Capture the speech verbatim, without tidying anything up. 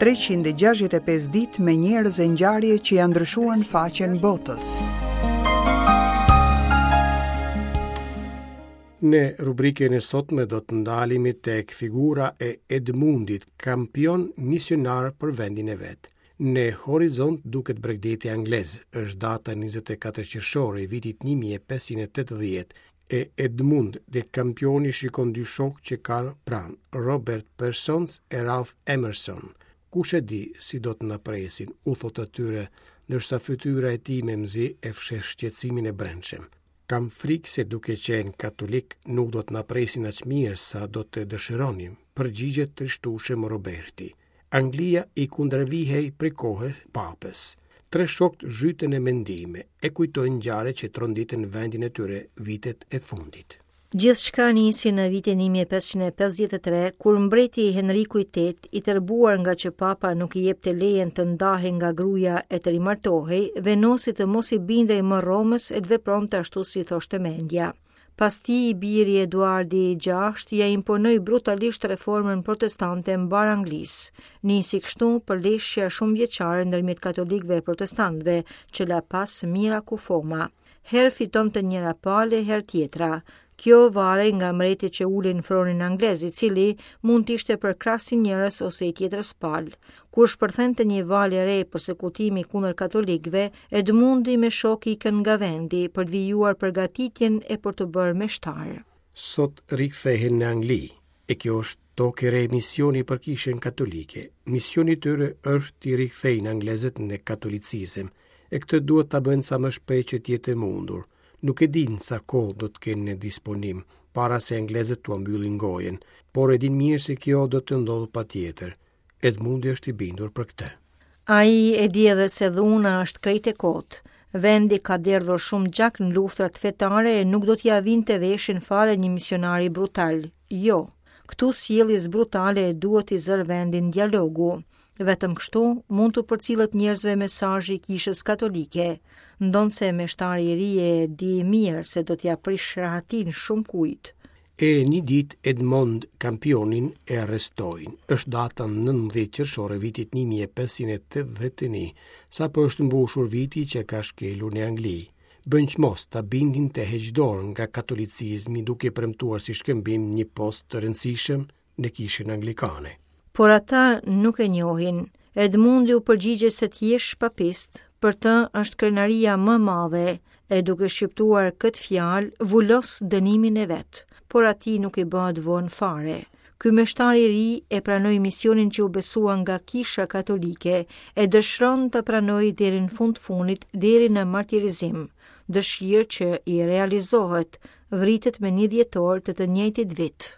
treqind e gjashtëdhjetë e pesë ditë me njerëz e ngjarje që janë ndryshuar në faqen botës. Në rubrikën e sotme do të ndalemi tek figura e Edmundit, kampion misionar për vendin e vet. Në horizont duket bregdeti anglez, është data njëzet e katër qershor e vitit një mijë e pesëqind e tetëdhjetë, e Edmund de Campioni shikon dy shokë që ka pranë, Robert Persons e Ralph Emerson. Kush e di si do të na presin, u thot atyre, ndërsa fytyra e tij me mzi e fsheh shqetësimin e brendshëm. Kam frikë se duke qenë katolik nuk do të na presin aq mirë sa do të dëshironim, përgjigjet trishtueshëm Roberti. Anglia i kundërvihej prej kohe papës. Tre shokët zhyten në mendime, e kujtojnë ngjarje që tronditën vendin e tyre vitet e fundit. Gjithçka nisi në vitin një mijë e pesëqind e pesëdhjetë e tre, kur mbreti Henriku i tetë, i tërbuar nga që papa nuk i jepte lejen të ndahej nga gruaja e të rimartohej, vendosi të mos i bindej më Romës e të vepronte ashtu si thoshte mendja. Pas tij, i biri Eduardi i gjashtë ja imponoi brutalisht reformën protestante mbar Anglisë. Nisi kështu përleshja shumëvjeçare ndërmjet katolikëve e protestantëve, që la pas mira kufoma. Herë fitonte njëra palë, herë tjetra. Kjo varej nga mbreti që ulin fronin anglez, i cili mund të ishte përkrahsi njërës ose i tjetrës palë. Kur shpërthente një valë e re persekutimi kundër katolikëve, Edmundi me shok ikën nga vendi për të vijuar përgatitjen e për të bërë meshtar. Sot rikthehen në Angli, e kjo është tokë e re misioni për kishën katolike. Misioni i tyre është t'i rikthejnë anglezët në katolicizëm, e këtë duhet ta bëjnë sa më shpejt që të jetë e mundur. Nuk e dinë sa kohë do të kenë në disponim, para se anglezët t'ua mbyllin gojën, por e dinë mirë se kjo do të ndodhë patjetër. Edmundi është i bindur për këtë. Ai e di edhe se dhuna është krejt e kotë. Vendi ka derdhur shumë gjak në luftrat fetare e nuk do t'ia vinte veshin fare një misionari brutal. Jo, këtu sjelljes brutale e duhet i zërë vendin dialogu. Vetëm kështu mund t'u përcillet njerëzve mesazhi i kishës katolike, ndonse meshtari i ri e di mirë se do t'ia prish rahatin shumë kujt. E një ditë Edmund Campionin e arrestojnë. Është data nëntëmbëdhjetë qershor e vitit një mijë e pesëqind e tetëdhjetë e një, sapo është mbushur viti që ka shkelur në Angli. Bën çmos ta bindin të heq dorë nga katolicizmi duke premtuar si shkëmbim një post të rëndësishëm në kishën anglikane. Por ata nuk e njohin. Edmundi u përgjigjet se të jesh papist, për të është krenaria më e madhe, e duke shqiptuar këtë fjalë, vulos dënimin e vet, por atij nuk i bëhet vonë fare. Ky meshtar i ri e pranoi misionin që u besua nga Kisha Katolike, e dëshiron ta pranojë deri në fund fundit, deri në martirizim, dëshirë që i realizohet, vritet me një dhjetor të të njëjtit vit.